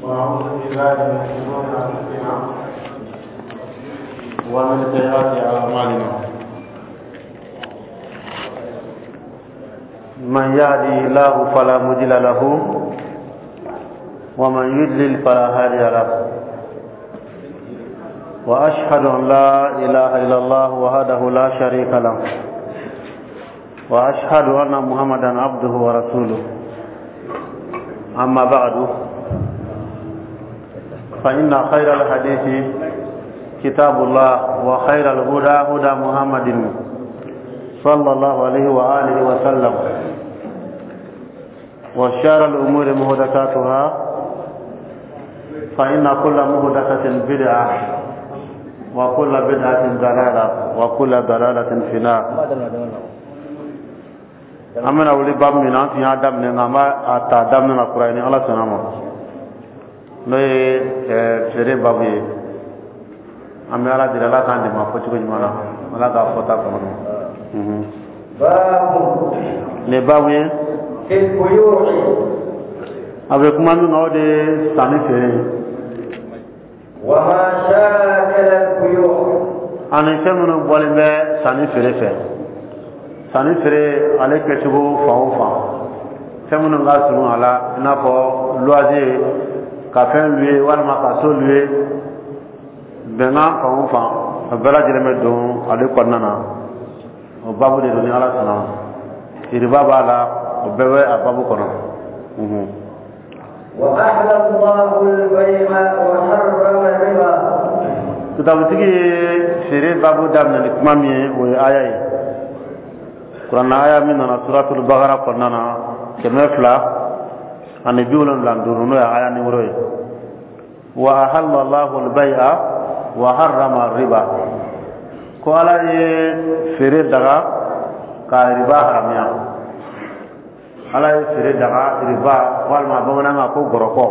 ونعوذ بالله من شرور أنفسنا ومن سيئات أعمالنا. من يهده الله فلا مضل له ومن يضلل فلا هادي له. وأشهد أن لا إله إلا الله وحده لا شريك له، وأشهد أن محمدا عبده ورسوله. أما بعد، فإن خير الحديث كتاب الله، وخير الهدى هدى محمد صلى الله عليه وآله وسلم، وشر الأمور محدثاتها، فإن كل محدثة بدعة، وكل بدعة ضلالة، وكل ضلالة في النار. An bɛna wuli babu min na, an tun y'a daminɛ, nka an b'a ta daminɛ na kura ye ni Ala sɔnna ma, n'o ye feere babu ye. An bɛ Ala deli, Ala k'an dɛmɛ a fɔcogo ɲuman na, Ala k'a fɔta kɔnɔ. Nin babu ye a bɛ kuma min kan, o de ye sanni feere ye ani fɛn minnu bɔlen bɛ sanni feere fɛ. Sanni feere ale kɛcogo fan o fan, fɛn minnu ka surun a la, i n'a fɔ loyer, ka fɛn louer walima ka so louer, bɛnkan fan o fan, a bɛɛ lajɛlen bɛ don ale kɔnɔna na. O babu de don ni Ala sɔnna ma. Iriba b'a la, o bɛɛ bɛ a babu kɔnɔ. وأحل الله البيع وحرم الربا. Kitabutigi ye feere babu daminɛ ni kuma min ye, o ye aya ye, Kuranna aya min nana Suratul Bakara kɔnɔna na, 275, n'o ye aya nimoro ye. Wa ahalla Allahu al-bay'a wa harrama riba, ko Ala ye feere daga ka riba haramiya. Ala ye feere daga, riba walima bamanankan ko gɔrɔkɔ,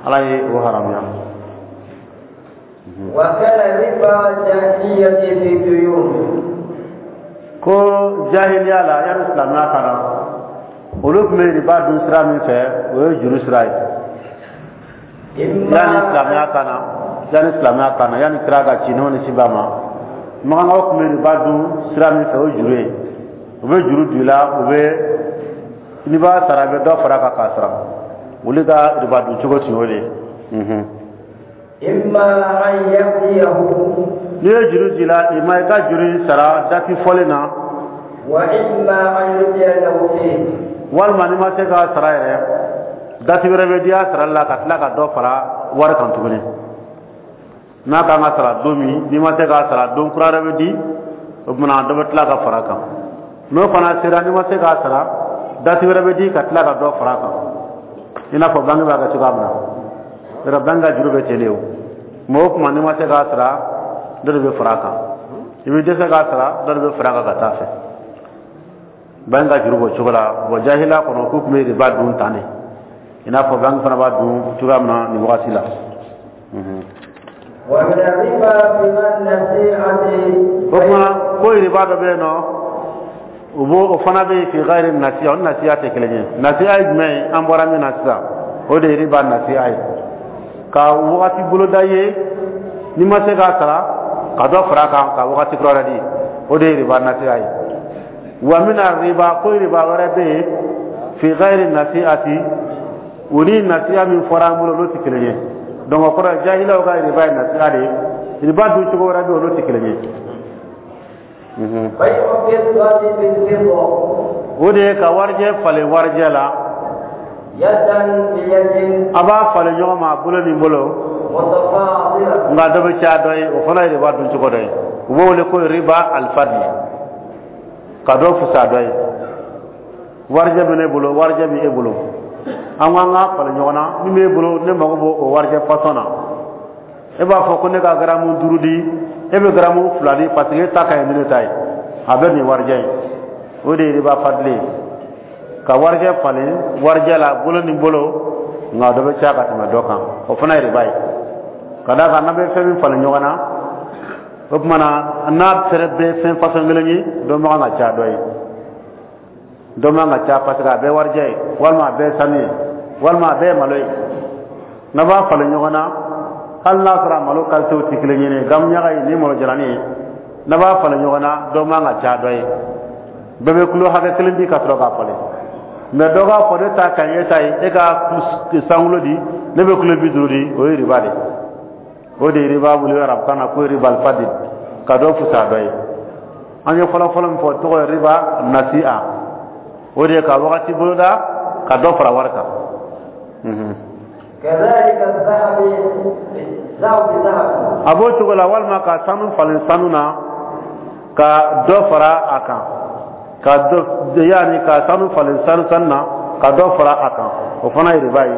Ala ye o haramiya. وكان ربا الجاهلية في الديون. Ko jahiliya la, yanni silamɛya ka na, olu tun bɛ riba dun sira min fɛ, o ye juru sira ye. Yanni silamɛya ka na, yanni silamɛya ka na, yanni kira ka ci, n'o ni si b'a ma, makankaw tun bɛ riba dun sira min fɛ, o ye juru ye. U bɛ juru don i la, u bɛ n'i b'a sara, i bɛ dɔ fara a kan k'a sara. Olu ka riba dun cogo tun y'o de ye. إما أن يأتيه. N'i ye juru di la, i ma i ka juru in sara dati fɔlen na. وإما أن يرجع له فيه. Walima n'i ma se k'a sara yɛrɛ, dati wɛrɛ bɛ di a sarali la ka tila ka dɔ fara wari kan tuguni. N'a kan ka sara don min, n'i ma se k'a sara, don kura wɛrɛ bɛ di, o tuma dɔ bɛ tila ka fara a kan. N'o fana sera, n'i ma se k'a sara, dati wɛrɛ bɛ di ka tila ka dɔ fara a kan, i n'a fɔ banque b'a kɛ cogoya min na. Yɔrɔ banque ka juru bɛ ten de. O tuma o tuma, n'i ma se k'a sara, dɔ de bɛ fara a kan. I bɛ dɛsɛ k'a sara, dɔ de bɛ fara a kan ka taa fɛ. Banque ka juru b'o cogo la. Bon, jahiliya kɔnɔ, k'u tun bɛ riba dun tan de, i n'a fɔ banque fana b'a dun cogoya min na nin wagati la. ومن الربا في النسيئة. O tuma ko riba dɔ bɛ yen nɔ, o b'o o fana bɛ yen fi gayiri nasiya. O ni nasiya tɛ kelen ye. Nasiya ye jumɛn ye? An bɔra min na sisan, o de ye riba nasiya ye, ka wagati boloda ye, n'i ma se k'a sara, ka dɔ fara a kan ka wagati kura wɛrɛ di, o de ye riba nasiya ye. Wa mina riba, ko riba wɛrɛ bɛ yen, fi gayiri nasiyati, o ni nasiya min fɔra an bolo, olu tɛ kelen ye. Donc o kɔrɔ ye, jahilaw ka riba ye nasiya de ye, riba dun cogo wɛrɛ bɛ yen, olu tɛ kelen ye. بيع الفضة بالفضة. O de ye ka warijɛ falen warijɛ la. يدا بيد. A b'a falen ɲɔgɔn ma bolo ni bolo. متفاضلة. Nka dɔ bɛ caya dɔ ye, o fana ye riba dun cogo dɔ ye. U b'o wele ko riba alifadli, ka dɔ fisaya dɔ ye. Warijɛ bɛ ne bolo, warijɛ bɛ e bolo, an ko an k'a falen ɲɔgɔn na. Min b'e bolo, ne mago b'o o warijɛ fasɔn na. E b'a fɔ ko ne ka garamu 5 di, e bɛ garamu 2 di, parce que e ta ka ɲi ni ne ta ye. A bɛ nin warijɛ ye, o de ye riba fadili ye, ka warijɛ falen warijɛ la bolo ni bolo, nka dɔ bɛ caya ka tɛmɛ dɔ kan. O fana ye riba ye, ka d'a kan n'an bɛ fɛn min falen ɲɔgɔn na, o tuma na n'a fɛrɛ bɛɛ fɛn fasɔn kelen ye, dɔ man kan ka caya dɔ ye, dɔ man ka caya, parce que a bɛɛ warijɛ ye, walima a bɛɛ ye sanu ye, walima a bɛɛ ye malo ye. N'a b'a falen ɲɔgɔn na, hali n'a sɔrɔ a malo qualitéw tɛ kelen ye, gamuɲaga ye ni malo jalanin ye, n'a b'a falen ɲɔgɔn na, dɔ man ka ca dɔ ye, bɛɛ bɛ kilo hakɛ kelen di ka sɔrɔ k'a falen. Mais dɔ k'a fɔ ne ta ka ɲi e ta ye, e ka sankulo di, ne bɛ kilo 50 di, o ye riba de. O de ye riba wuli arabukan na ko riba alfadil, ka dɔ fisaya dɔ ye. An ye fɔlɔ-fɔlɔ min fɔ, tɔgɔ ye riba nasi'a, o de ye ka wagati boloda ka dɔ fara wari kan. A b'o cogo la, walima ka sanu falen sanu na ka dɔ fara a kan, ka dɔ yaani ka sanu falen sanu na ka dɔ fara a kan, o fana ye riba ye.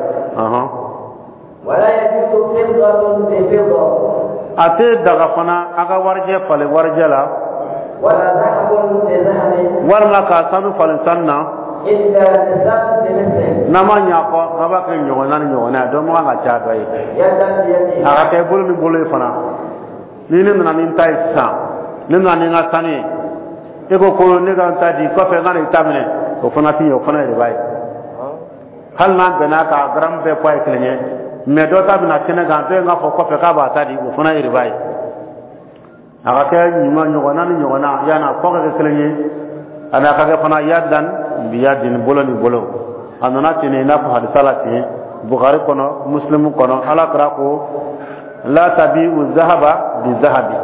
A tɛ daga fana a ka warijɛ falen warijɛ la, walima ka sanu falen sanu na, n'a ma ɲɛ a kɔ, n'a b'a kɛ ɲɔgɔnna ni ɲɔgɔnna ye, dɔ man kan ka ca dɔ ye, a ka kɛ bolo ni bolo ye fana. Ni ne nana ni n ta ye sisan, ne nana ni n ka sanu ye, e ko ko ne ka n ta di, kɔfɛ n ka na i ta minɛ, o fana ti ɲɛ, o fana ye riba ye. Hali n'an bɛnna ka garamu bɛɛ poids ye kelen ye, mais dɔ ta bɛna kɛnɛ kan, dɔ in k'a fɔ kɔfɛ k'a b'a ta di, o fana ye riba ye. A ka kɛ ɲuman ɲɔgɔnna ni ɲɔgɔnna, yanni a poids ka kɛ kelen ye, ani a ka kɛ fana yadan biyadin, bolo ni bolo. A nana ten i n'a fɔ hadisa la ten, Bukhari kɔnɔ, Muslimu kɔnɔ, Ala kira ko la tabi'u zahaba bi zahabi,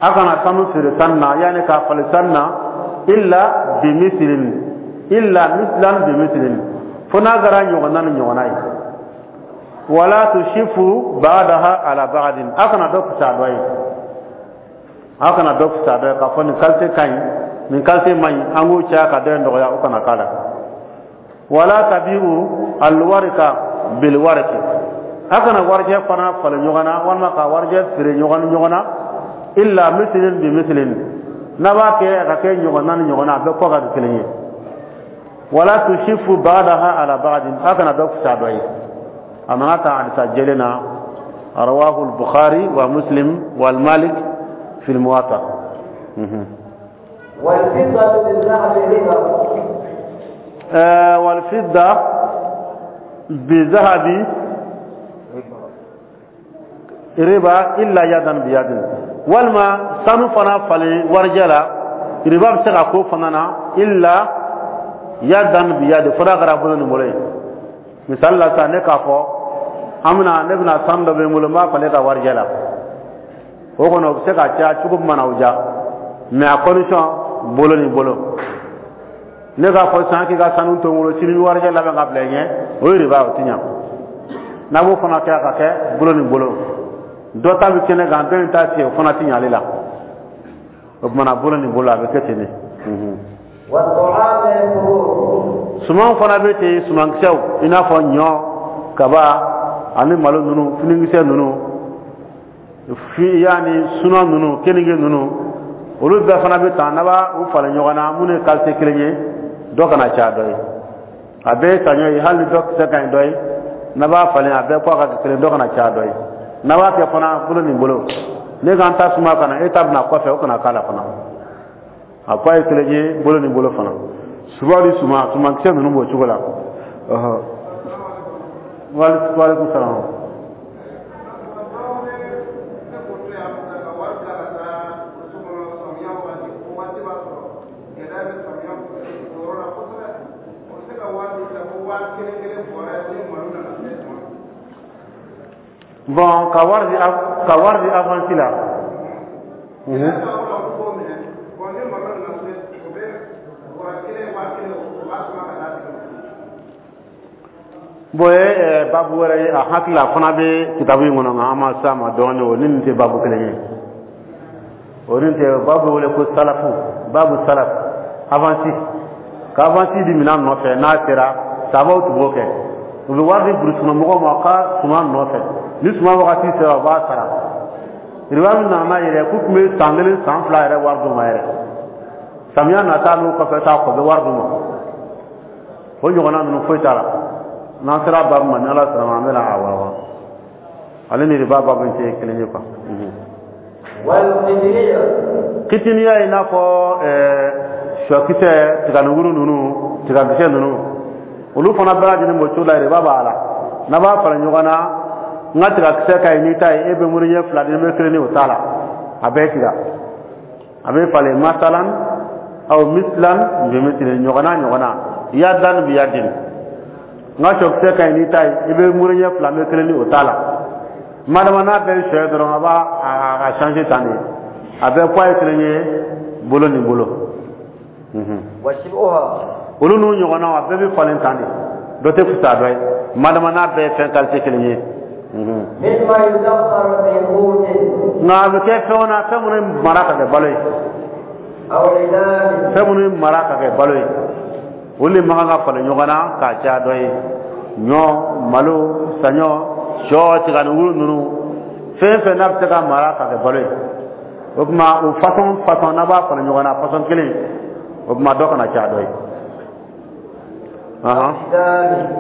a kana sanu feere sanu na, yanni k'a falen sanu na, illa bi mislin, illa mislan bi mislin, fo n'a kɛra ɲɔgɔnna ni ɲɔgɔnna ye. Wala tushifu ba'daha ala ba'din, a kana dɔ fisaya dɔ ye, a kana dɔ fisaya dɔ ye k'a fɔ nin qualité ka ɲi, nin qualité man ɲi, an k'o caya ka dɔ in dɔgɔya, o kana k'a la. Wala tabi'u alwarika bilwariki, a kana warijɛ fana falen ɲɔgɔn na, walima ka warijɛ feere ɲɔgɔn ni ɲɔgɔn na, illa mislin bi mislin, n'a b'a kɛ a ka kɛ ɲɔgɔnna ni ɲɔgɔnna, a bɛɛ kɔ ka kɛ kelen ye. Wala tushifu ba'daha ala ba'din, a kana dɔ fisaya dɔ ye. A nana ta hadisa jɛlen na, rawahu al-Bukhari wa Muslim wal Malik fi al-Muwatta. والفضة بالذهب ربا. والفضة بالذهب riba illa yadan biyadin, walima sanu fana falen warijɛ la, riba bɛ se ka k'o fana na, illa yadan biyadin, fo n'a kɛra bolo ni bolo ye. Misali la sisan, ne k'a fɔ an bɛna, ne bɛna sanu dɔ bɛ n bolo, n b'a falen ka warijɛ la, o kɔnɔ o bɛ se ka caya cogo min mana o diya, mais a condition bolo ni bolo. Ne k'a fɔ sisan k'i ka sanu to n bolo, sini n bɛ warijɛ labɛn ka bila i ɲɛ, o ye riba, o ti ɲa. N'a b'o fana kɛ, a ka kɛ bolo ni bolo. Dɔ ta bɛ kɛnɛ kan, dɔ in ta tigɛ, o fana ti ɲa ale la. O tuma na bolo ni bolo, a bɛ kɛ ten de. Suman fana bɛ ten, sumankisɛw i n'a fɔ ɲɔ, kaba ani malo ninnu, finikisɛ ninnu, yaani sunan ninnu, keninge ninnu, olu bɛɛ fana bɛ tan. N'a b'a u falen ɲɔgɔn na, minnu ye qualité kelen ye, dɔ kana caya dɔ ye. A bɛɛ ye saɲɔ ye, hali ni dɔ kisɛ ka ɲi dɔ ye, n'a b'a falen, a bɛɛ kɔ ka kɛ kelen, dɔ kana caya dɔ ye. N'a b'a kɛ fana bolo ni bolo, ne ka n ta suma ka na, e ta bɛna kɔfɛ, o kana k'a la fana. A ko a ye kelen ye, bolo ni bolo fana. Suba ni suman, sumankisɛ ninnu b'o cogo la. Waaleykum salaam. Bon, ka wari di avance la. Bon, ye babu wɛrɛ ye, a hakili a fana bɛ kitabu in kɔnɔ, nka an ma s'a ma dɔɔnin, o ni nin tɛ babu kelen ye. O ni tɛ babu wele ko salafu, babu salaf, avance. Ka avance di minɛn nɔfɛ, n'a sera, sabaw tun b'o kɛ. U bɛ wari di burusikɔnɔ mɔgɔw ma ka suman nɔfɛ. Ni suman wagati sera, u b'a sara. Riba min nana n'a yɛrɛ, k'u tun bɛ san 1 san 2 yɛrɛ wari d'u ma yɛrɛ. Samiya nata n'o kɔfɛ t'a kɔ, u bɛ wari d'u ma. O ɲɔgɔnna ninnu foyi t'a la. N'an sera babu ma, ni Ala sɔnna ma, an bɛna a walawala. Ale ni riba babu in tɛ kelen ye quoi. Kitiniya i n'a fɔ sɔkisɛ, tiganikuru ninnu, tigakisɛ ninnu, olu fana bɛɛ lajɛlen b'o cogo la, riba b'a la. N'a b'a falen ɲɔgɔn na, n ka tigakisɛ ka ɲi n'i ta ye, e bɛ muru ɲɛ fila di, ne bɛ kelen di, o t'a la. A bɛɛ tiga a bɛ falen masalan aw mislan bi mislin, ɲɔgɔnna ɲɔgɔnna, yadan bi yadin. N ka sɔkisɛ ka ɲi n'i ta ye, i bɛ muru ɲɛ fila, n bɛ kelen di, o t'a la. Madama n'a bɛɛ ye sɔ ye dɔrɔn, a b'a a changer tan de, a bɛɛ poids ye kelen ye, bolo ni bolo. Olu n'u ɲɔgɔnnaw, a bɛɛ bɛ falen tan de, dɔ tɛ fisaya dɔ ye, madama n'a bɛɛ ye fɛn qualité kelen ye. Nka a bɛ kɛ fɛn na, fɛn minnu mara ka kɛ balo ye, fɛn minnu mara ka kɛ balo ye, olu de man kan ka falen ɲɔgɔn na k'a caya dɔ ye. Ɲɔ, malo, saɲɔ, sɔ, tiganikuru ninnu, fɛn fɛn n'a bɛ se ka mara ka kɛ balo ye, o tuma o façon façon n'a b'a falen ɲɔgɔn na façon kelen, o tuma dɔ kana caya dɔ ye.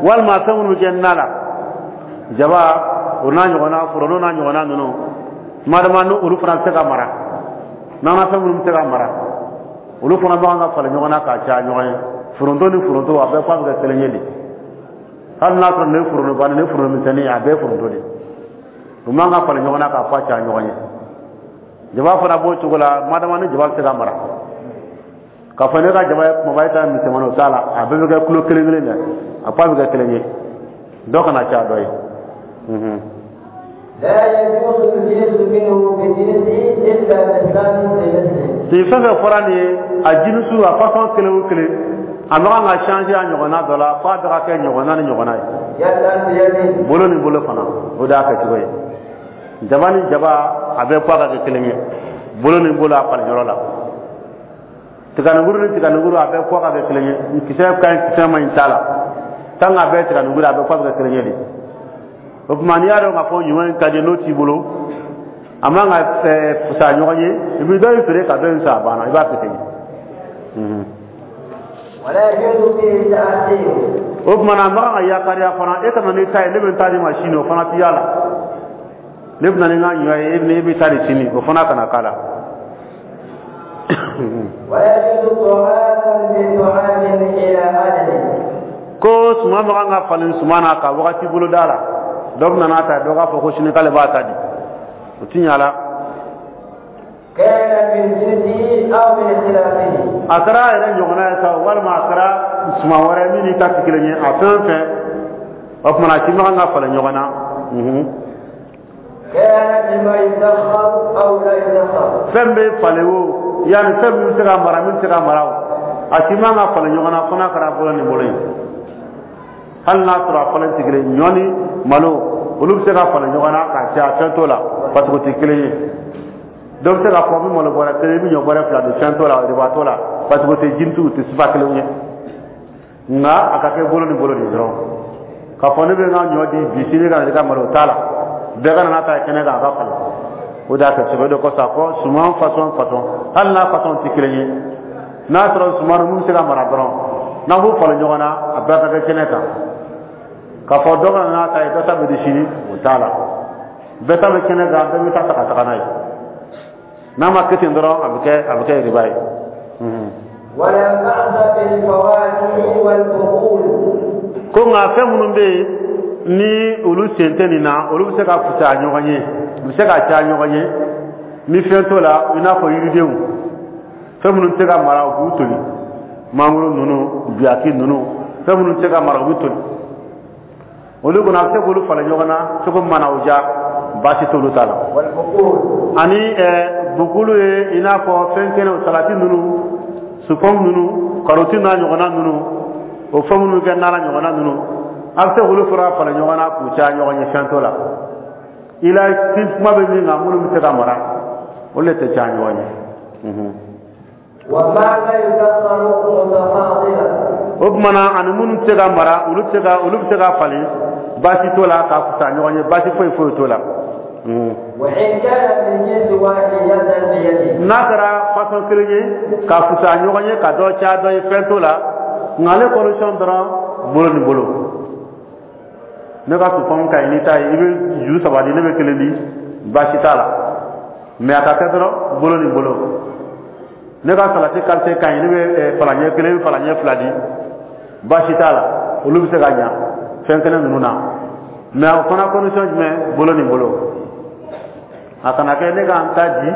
Walima fɛn minnu bɛ kɛ na la, jaba o n'a ɲɔgɔnna, foronto n'a ɲɔgɔnna ninnu, madama ni olu fana bɛ se ka mara, n'an ka fɛn minnu bɛ se ka mara, olu fana bɛ kan ka falen ɲɔgɔn na k'a caya ɲɔgɔn ye. Foronto ni foronto, a bɛɛ poids bɛ kɛ kelen ye de. Hali n'a sɔrɔ nin ye forontoba ni foronto misɛnnin, a bɛɛ ye foronto de. U man ka falen ɲɔgɔn na k'a poids caya ɲɔgɔn ye. Jaba fana b'o cogo la, madama ni jaba bɛ se ka mara. K'a fɔ ne ka jaba ye kumaba ye, ta misɛnmanin, o t'a la. A bɛɛ bɛ kɛ kilo kelen kelen dɛ, a poids bɛ kɛ kelen ye, dɔ kana caya dɔ ye. Nin fɛn fɛn fɔra nin ye, a jinisu, a façon kelen o kelen, a man kan ka changer a ɲɔgɔnna dɔ la, f'a bɛɛ ka kɛ ɲɔgɔnna ni ɲɔgɔnna ye, bolo ni bolo fana. O de y'a kɛcogo ye. Jaba ni jaba, a bɛɛ poids ka kɛ kelen ye, bolo ni bolo, a falen yɔrɔ la. Tiganikuru ni tiganikuru, a bɛɛ poids ka kɛ kelen ye. Kisɛ ka ɲi, kisɛ man ɲi t'a la, tant que a bɛɛ ye tiganikuru, a bɛɛ poids bɛ kɛ kelen ye de. O tuma n'i y'a dɔn k'a fɔ ɲuman in ka di, n'o t'i bolo, a man ka fisaya ɲɔgɔn ye, i bɛ dɔ in feere ka dɔ in san, a banna, i b'a kɛ ten. O tuma na a man kan ka yakariya fana, e ka na n'i ta ye, ne bɛ n ta d'i ma sini, o fana t'i y'a la. Ne bɛ na ni n ka ɲɔ ye, e bɛ taa di sini, o fana kana k'a la. Ko suman man kan ka falen suman na ka wagati bolo da la, dɔ bɛ na n'a ta ye, dɔ k'a fɔ ko sini k'ale b'a ta di, o ti ɲa la. A kɛra a yɛrɛ ɲɔgɔnna ye sa, walima a kɛra suman wɛrɛ min n'i ta tɛ kelen ye, a fɛn o fɛn, o tuma na a si man kan ka falen ɲɔgɔn na. Fɛn bɛ falen o, yanni fɛn min bɛ se ka mara, min tɛ se ka mara o, a si man ka falen ɲɔgɔn na fo n'a kɛra bolo ni bolo ye. Hali n'a sɔrɔ a falen tɛ kelen, ɲɔ ni malo, olu bɛ se ka falen ɲɔgɔn na k'a caya, fɛn t'o la, parce que o tɛ kelen ye. Dɔ bɛ se k'a fɔ n bɛ malo bɔrɛ kelen, i bɛ ɲɔ bɔrɛ fila don, fɛn t'o la, riba t'o la, parce que o tɛ jinisi, u tɛ sifa kelen ye. Nka a ka kɛ bolo ni bolo de dɔrɔn. K'a fɔ ne bɛ n ka ɲɔ di bi, sini ka na i ka malo, o t'a la. Bɛɛ ka na n'a ta ye kɛnɛ kan, a ka falen. O de y'a kɛ sɛbɛ de kosɔn a fɔ suman façon façon, hali n'a façon tɛ kelen ye, n'a sɔrɔ suman min bɛ se ka mara dɔrɔn, n'an b'u falen ɲɔgɔn na, a bɛɛ ka kɛ kɛnɛ kan. K'a fɔ dɔ ka na n'a ta ye, dɔ ta bɛ di sini, o t'a la. Bɛɛ ta bɛ kɛnɛ kan, bɛɛ bɛ taa ta ka taga n'a ye. N'a ma kɛ ten dɔrɔn, a bɛ kɛ riba ye. Ko nka fɛn minnu bɛ yen ni olu sen tɛ nin na, olu bɛ se ka fisaya ɲɔgɔn ye, u bɛ se ka caya ɲɔgɔn ye ni fɛn t'o la, i n'a fɔ yiridenw, fɛn minnu tɛ se ka mara, u b'u toli, mangoro ninnu, biyaki ninnu, fɛn minnu tɛ se ka mara, u b'u toli. Olu kɔni, a bɛ se k'olu falen ɲɔgɔn na cogo min mana o diya, baasi t'olu ta la. Ani bukulu ye, i n'a fɔ fɛn kɛnɛw, salati ninnu, supɔmu ninnu, karɔti n'a ɲɔgɔnna ninnu, o fɛn minnu kɛ na la ɲɔgɔnna ninnu, a bɛ se k'olu fana falen ɲɔgɔn na k'u caya ɲɔgɔn ye, fɛn t'o la. I la kuma bɛ min kan, minnu bɛ se ka mara, olu de tɛ caya ɲɔgɔn ye. O tuma na ani minnu tɛ se ka mara, olu bɛ se ka falen, baasi t'o la, ka fisa ɲɔgɔn ye, baasi foyi foyi t'o la. N'a kɛra façon kelen ye ka fisa ɲɔgɔn ye, ka dɔ caya dɔ ye, fɛn t'o la. Nka ale condition dɔrɔn, bolo ni bolo. Ne ka supɔmu ka ɲi n'i ta ye, i bɛ ju saba di, ne bɛ kelen di, baasi t'a la. Mais a ka kɛ dɔrɔn bolo ni bolo. Ne ka salati qualité ka ɲi, ne bɛ falaɲɛ kelen, i bɛ falaɲɛ fila di, baasi t'a la. Olu bɛ se ka ɲa fɛn kɛnɛ ninnu na. Mais o fana condition jumɛn? Bolo ni bolo. A kana kɛ ne ka n ta di,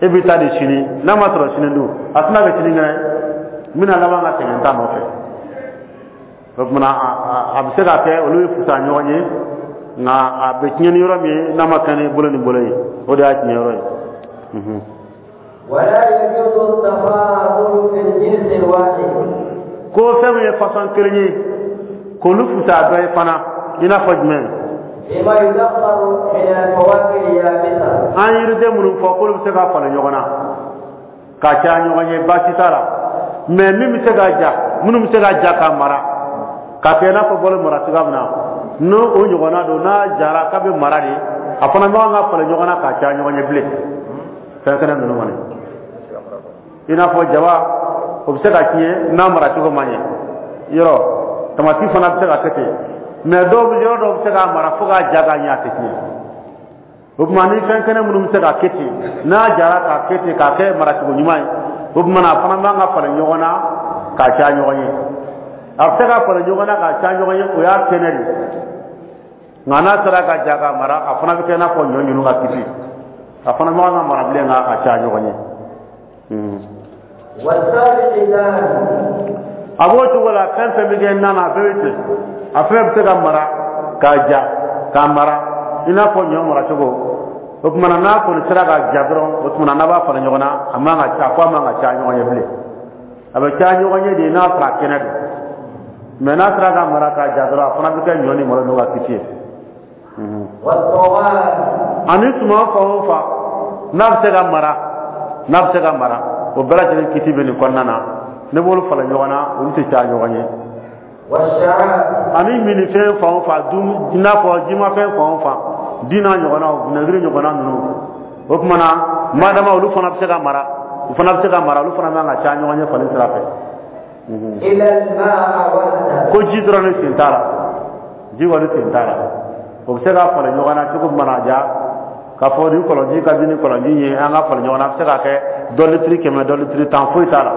e b'i ta di sini. N'a ma sɔrɔ sini dun, a tɛna kɛ sini kɛnɛ, n bɛna laban ka sɛgɛn n ta nɔfɛ. O tuma a bɛ se ka kɛ olu ye fusa ɲɔgɔn ye, nka a bɛ tiɲɛ ni yɔrɔ min ye, n'a ma kɛ ni bolo ni bolo ye, o de y'a tiɲɛ yɔrɔ ye. ولا يجوز التفاضل في الجنس الواحد. Ko fɛn min ye façon kelen ye, k'olu fusa dɔ ye fana, i n'a fɔ jumɛn? فيما يدخر من الفواكه اليابسة. An yiriden minnu fɔ k'olu bɛ se ka falen ɲɔgɔn na ka caya ɲɔgɔn ye, baasi t'a la. Mais min bɛ se ka ja, minnu bɛ se ka ja ka mara ka kɛ i n'a fɔ balo mara cogoya min na, n'o o ɲɔgɔnna don, n'a jara k'a bɛ mara de, a fana man kan ka falen ɲɔgɔn na ka caya ɲɔgɔn ye bilen. Fɛn kɛnɛ ninnu kɔni, i n'a fɔ jaba, o bɛ se ka tiɲɛ n'a mara cogo ma ɲɛ. Yɔrɔ tamati fana bɛ se ka kɛ ten. Mais dɔw bɛ, yɔrɔ dɔw bɛ se k'a mara fo k'a ja ka ɲɛ, a tɛ tiɲɛ. O tuma ni fɛn kɛnɛ minnu bɛ se ka kɛ ten, n'a jara k'a kɛ ten, k'a kɛ maracogo ɲuman ye, o tuma na a fana man ka falen ɲɔgɔn na k'a caya ɲɔgɔn ye. A bɛ se ka falen ɲɔgɔn na k'a caya ɲɔgɔn ye, o y'a kɛnɛ de ye. Nka n'a sera ka ja ka mara, a fana bɛ kɛ i n'a fɔ ɲɔ ninnu ka kisi, a fana man kan ka mara bilen ka a caya ɲɔgɔn ye. والسابع دان. A b'o cogo la, fɛn fɛn bɛ kɛ na na, a bɛɛ bɛ ten. A fɛn bɛ se ka mara k'a ja k'a mara i n'a fɔ ɲɔ mara cogo. O tuma na, n'a kɔni sera ka ja dɔrɔn, o tuma na n'a b'a falen ɲɔgɔn na, a man ka a fɔ a man ka caya ɲɔgɔn ye bilen. A bɛ caya ɲɔgɔn ye de n'a sɔrɔ a kɛnɛ don. Mais n'a sera ka mara k'a ja dɔrɔn, a fana bɛ kɛ ɲɔ ni malo n'o ka kisi ye. والطعام. Ani suman fan o fan n'a bɛ se ka mara, n'a bɛ se ka mara, o bɛɛ lajɛlen kiti bɛ nin kɔnɔna na. Ne b'olu falen ɲɔgɔn na, olu tɛ caya ɲɔgɔn ye. والشراب. Ani minifɛn fan o fan dun, i n'a fɔ jimafɛn fan o fan, di n'a ɲɔgɔnnaw, vinaigre ɲɔgɔnna ninnu, o tuma na madama olu fana bɛ se ka mara, u fana bɛ se ka mara, olu fana man ka caya ɲɔgɔn ye falen sira fɛ. إلا الماء وحده. Ko ji dɔrɔn de sen t'a la, ji kɔni sen t'a la. O bɛ se ka falen ɲɔgɔn na cogo min mana ja, k'a fɔ ni kɔlɔnji ka di ni kɔlɔnji ye, an ka falen ɲɔgɔn na, a bɛ se ka kɛ dɔ litiri 100, dɔ litiri 10, foyi t'a la,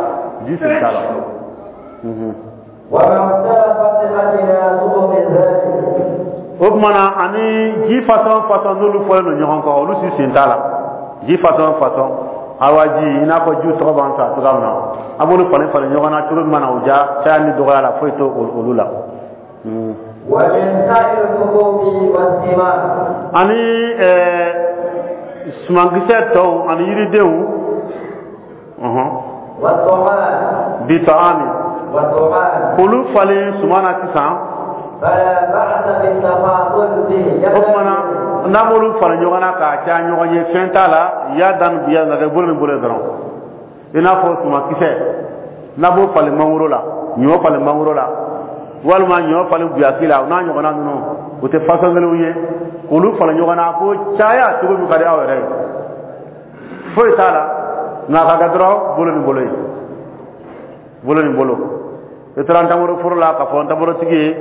ji sen t'a la. وما اختلفت أجناسه من ذلك. O tuma na, ani ji façon façon n'olu fɔlen don ɲɔgɔn kɔ, olu si sen t'a la. Ji façon façon, awa ji, i n'a fɔ jiw tɔgɔ b'an fɛ cogoya min na, an b'olu falen falen ɲɔgɔn na cogo min mana o ja, caya ni dɔgɔya la, foyi t'o olu la. ومن سائر الحبوب والثمار. Ani sumankisɛ tɔw ani yiridenw والطعام. Bitaami. والطعام. K'olu falen suman na sisan. فلا بأس بالتفاضل به. O tuma na, n'an b'olu falen ɲɔgɔn na k'a caya ɲɔgɔn ye, fɛn t'a la. Ya dan biya nka kɛ bolo ni bolo ye dɔrɔn. I n'a fɔ sumankisɛ, n'a b'o falen mangoro la, ɲɔ falen mangoro la, walima ɲɔ falen buyaki la, o n'a ɲɔgɔnna ninnu, o tɛ façon kelenw ye. K'olu falen ɲɔgɔn na ko caya cogo min ka di aw yɛrɛ ye, foyi t'a la. Nka a ka kɛ dɔrɔn bolo ni bolo ye, bolo ni bolo. I taara ntamaro foro la, k'a fɔ ntamarotigi ye: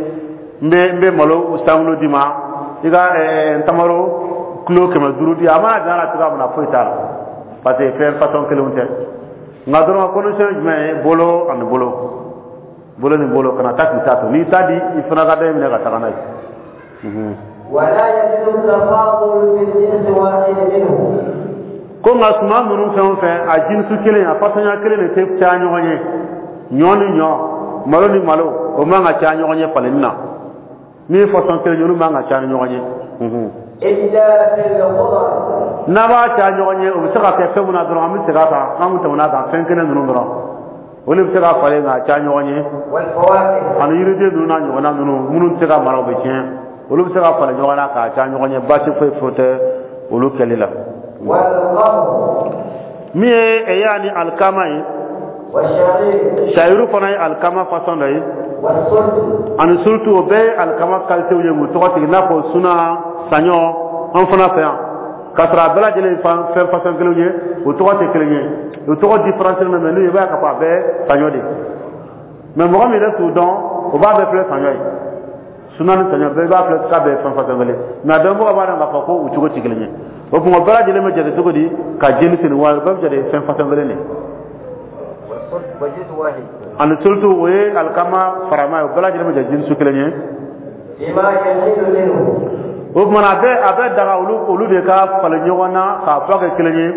N bɛ malo sankulo d'i ma, i ka ntamaro kilo 500 di." A mana dan la cogoya min na, foyi t'a la, parce que fɛn façon kelenw tɛ. Nka dɔrɔn condition ye jumɛn ye? Bolo ani bolo, bolo ni bolo. Kana taa k'i ta to, n'i ta di, i fana ka dɔ in minɛ ka taga n'a ye. ولا يجوز التفاضل في الجنس واحد منه. Ko nka suman ninnu fɛn o fɛn, a jinsu kelen, a façonnya kelen de tɛ caya ɲɔgɔn ye. Ɲɔ ni ɲɔ, malo ni malo, o man ka caya ɲɔgɔn ye falenni na. Min ye façon kelen ye, olu man ka caya ni ɲɔgɔn ye. إلا في الخضر. N'a b'a caya ɲɔgɔn ye, o bɛ se ka kɛ fɛn mun na dɔrɔn, an bɛ segin a kan, an kun tɛmɛna a kan, fɛn kelen ninnu dɔrɔn, olu bɛ se ka falen k'a caya ɲɔgɔn ye. والفواكه. Ani yiriden ninnu n'a ɲɔgɔnna ninnu, minnu tɛ se ka mara, o bɛ tiɲɛ, olu bɛ se ka falen ɲɔgɔn na k'a caya ɲɔgɔn ye, baasi foyi foyi tɛ olu kɛli la. والقمح. Min ye ɛya ni alikama ye. والشعير. Sayiru fana ye alikama façon dɔ ye. والسلت. Ani surtout, o bɛɛ ye alikama qualité ye, k'u tɔgɔ tigɛ i n'a fɔ suna, saɲɔ, an fana fɛ yan, k'a sɔrɔ a bɛɛ lajɛlen fan fɛn façon kelenw ye, o tɔgɔ tɛ kelen ye, o tɔgɔ différence mais n'u ye, i b'a ye k'a fɔ a bɛɛ saɲɔ de. Mais mɔgɔ min yɛrɛ t'u dɔn, o b'a bɛɛ filɛ saɲɔ ye. Suna ni saɲɔ bɛɛ, i b'a filɛ k'a bɛɛ ye fɛn façon kelen, mais a dɔnbagaw b'a dɔn k'a fɔ ko u cogo tɛ kelen ye. O tuma o bɛɛ lajɛlen bɛ jate cogo di ka jeni sini wa? O bɛɛ bɛ jate fɛn façon kelen de. والسلت وجنس واحد. Ani surtout, o ye alikama farama ye, o bɛɛ lajɛlen bɛ jate jinsu kelen ye. بما يحل منه. O tuma na, a bɛ daga olu de ka falen ɲɔgɔn na k'a fɔ kɛ kelen ye.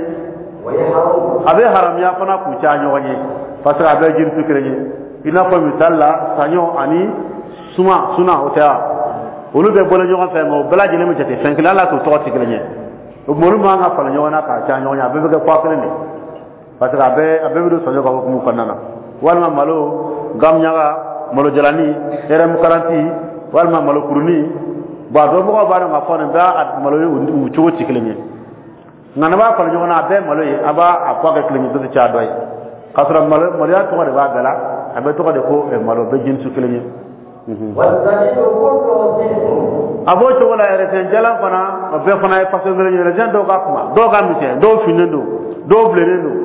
ويحرم. A bɛ haramiya fana k'u caya ɲɔgɔn ye, parce que a bɛɛ jirisu kelen ye. I n'a fɔ misali la, saɲɔ ani suma suna, o tɛ wa? Olu bɛ bɔlen ɲɔgɔn fɛ, nka o bɛɛ lajɛlen bɛ jate fɛn kelen, hali n'a t'o tɔgɔ tɛ kelen ye. O tuma, olu man kan ka falen ɲɔgɔn na k'a caya ɲɔgɔn ye. A bɛɛ bɛ kɛ poids kelen de, parce que a bɛɛ bɛ don saɲɔ ka hukumu kɔnɔna na. Walima malo gamɲaga, malo jalani RM 40, walima malo kurunin. Bon, a dɔn mɔgɔw b'a dɔn k'a fɔ nin bɛɛ a malo ye, u cogo tɛ kelen ye. Nka n'a b'a falen ɲɔgɔn na, a bɛɛ malo ye, a b'a a poids kɛ kelen ye, dɔ tɛ caya dɔ ye, k'a sɔrɔ malo maloya tɔgɔ de b'a bɛɛ la. A bɛɛ tɔgɔ de ko malo, bɛɛ jinsu kelen ye. والزبيب كله صنف. A b'o cogo la. Yɛrɛsɛn jalan fana, o bɛɛ fana ye façon kelen ye. Yɛrɛsɛn dɔw ka kuma, dɔw ka misɛn, dɔw finnen don, dɔw bilennen don,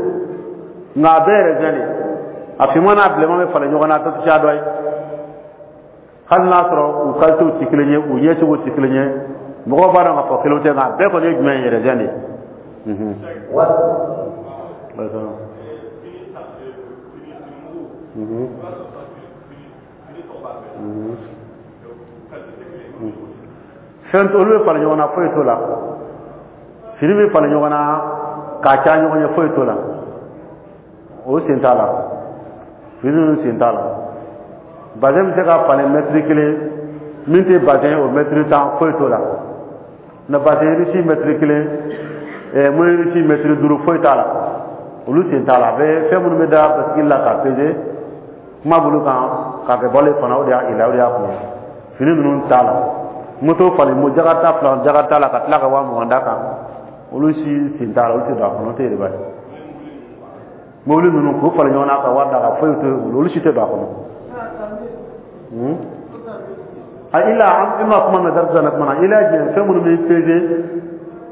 nka a bɛɛ yɛrɛsɛn de. A finman n'a bilenman bɛ falen ɲɔgɔn na, a tɛ caya dɔ ye, hali n'a sɔrɔ u qualitéw tɛ kelen ye, u ɲɛcogo tɛ kelen ye. Mɔgɔw b'a dɔn k'a fɔ kelenw tɛ, nka a bɛɛ kɔni ye jumɛn ye? Yɛrɛsɛn de ye. Fɛn olu bɛ falen ɲɔgɔn na, foyi t'o la. Fini bɛ falen ɲɔgɔn na k'a caya ɲɔgɔn ye, foyi t'o la. O sen t'a la, fini ninnu sen t'a la. Bazɛn bɛ se ka falen mɛtiri 1, min tɛ bazɛn, o mɛtiri 10, foyi t'o la. Na bazɛn riche mɛtiri 1, moyen riche mɛtiri 5, foyi t'a la. Olu sen t'a la. A bɛ fɛn minnu bɛ da basigi la k'a peser, kuma b'olu kan k'a kɛ balo fana, o de y'a ila, o de y'a kun ye. Fini ninnu t'a la. Moto falen mo jakarta fila, jakarta la ka tila ka 20 000 d'a kan, olu si sen t'a la. Olu tɛ don a kɔnɔ, o tɛ yɛrɛ ye. Mobili ninnu k'u falen ɲɔgɔn na ka wari d'a kan, foyi tɛ olu si tɛ don a kɔnɔ. A ila an ma kuma mɛn darisa na kuma na ila jɛ fɛn minnu bɛ peser,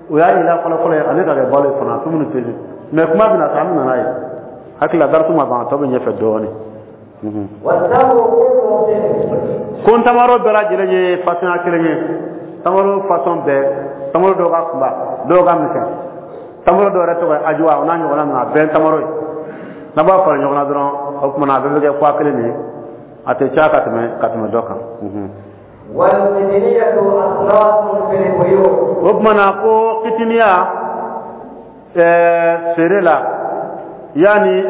o y'a ila fɔlɔ fɔlɔ ye, ale ka kɛ balo ye fana, fɛn minnu peser. Mais kuma bɛna sa, an bɛ na n'a ye. Hakili la, darisu ma ban, a tɔ bɛ ɲɛfɛ dɔɔnin. والتمر كله صنف. Ko tamaro bɛɛ lajɛlen ye façon kelen ye. Tamaro façon bɛɛ, tamaro dɔw ka kunba, dɔw ka misɛn, tamaro dɔw yɛrɛ tɔgɔ ye ajuwa, o n'a ɲɔgɔnna ninnu, a bɛɛ ye tamaro ye. N'a b'a fara ɲɔgɔn na dɔrɔn, o tuma na a bɛɛ bɛ kɛ poids kelen de ye, a tɛ caya ka tɛmɛ dɔ kan. والقطنية أصناف في البيوع. O tuma na, ko kitiniya feere la, yaani